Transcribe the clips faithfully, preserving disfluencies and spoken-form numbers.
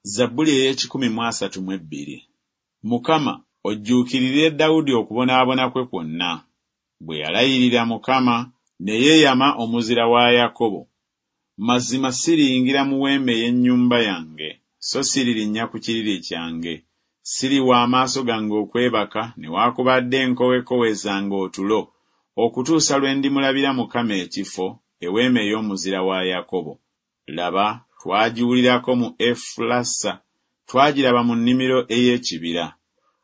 Zabbuli ey'ekikumi mu asatu mu ebbiri. Mukama, ojjuukirire Dawudi okubonaabona kwe kwonna. Bwe yalayirira Mukama, ne yeeyama Omuzira wa Yakobo. Mazima siriyingira mu weema ey'ennyumba yange, so siririnnya ku kiriri kyange. Siriwa amaaso gange okwebaka, newaakubadde enkowekowe zange otulo, okutuusa lwe ndimulabira Mukama ekifo, eweema ey'Omuzira wa Yakobo. Laba, twagiwulirako mu Efulasa, twagiraba mu nnimiro ey'ekibira.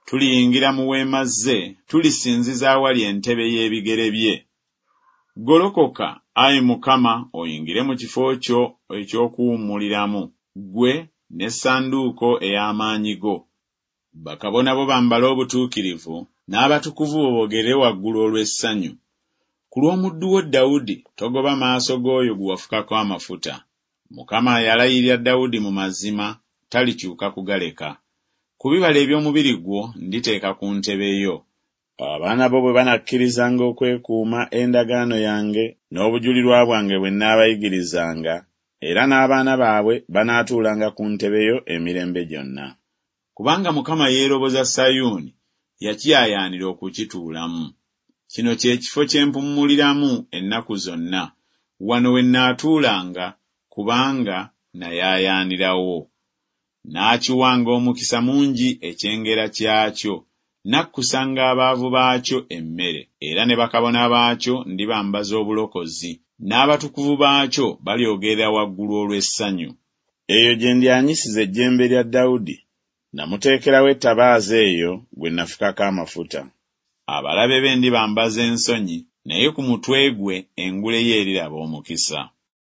Tuliyingira mu weema ze, tulisinziza awali entebe y'ebigere bye. Golokoka, ayi Mukama, oyingire mu kifo kyo eky'okuwummuliramu, ggwe n'essanduuko ey'amaanyi go. Bakabona bo bambale obutuukirivu, n'abatukuvu bo boogere waggulu olw'essanyu. Ku lw'omuddu wo Dawudi togoba maaso g'oyo gwe wafukako amafuta. Mukama yalayirira Dawudi mu mazima, talikyuka kugaleka. Ku bibala eby'omubiri gwo nditeeka ku ntebe yo. Abaana bo bwe banakkirizanga okwekuuma endagaano yange n'obujulirwa bwange bwe nnaabayigirizanga, era n'abaana baabwe banaatuulanga ku ntebe yo emirembe gyonna. Kubanga Mukama yeeroboza Sayuuni, yakiyaayaanira okukituulamu. Kino kye kifo kye mpummuliramu ennaku zonna, wano we nnaatuulanga, kubanga nayaayaanirawo. Naakiwanga omukisa mungi ekyengera kyakyo, nakkusanga abaavu baakyo emmere. Era ne bakabona baakyo ndibambaza obulokozi, n'abatukuvu baakyo balyogerera waggulu olw'essanyu. Eyo gye ndyanyisiza ejjembe lya Dawudi, namuteekerawo ettabaaza eyo gwe nafukako amafuta. Abalabe be ndibambaza ensonyi, naye ku mutwe gwe engule ye eriraba omukisa.